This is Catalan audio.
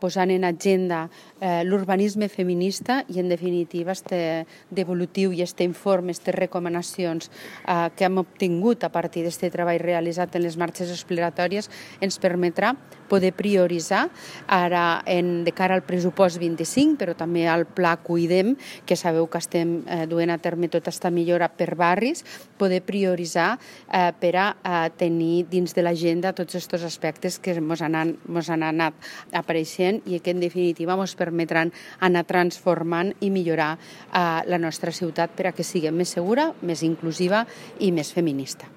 posant en agenda l'urbanisme feminista i, en definitiva, este devolutiu i este informe, aquestes recomanacions que hem obtingut a partir d'aquest treball realitzat en les marxes exploratòries ens permetrà poder prioritzar ara de cara al pressupost 25, però també al pla Cuidem, que sabeu que estem duent a terme tota aquesta millora per barris, poder prioritzar per a tenir dins de l'agenda tots aquests aspectes que ens han anat apareixent i que en definitiva ens permetran anar transformant i millorar la nostra ciutat per a que sigui més segura, més inclusiva i més feminista.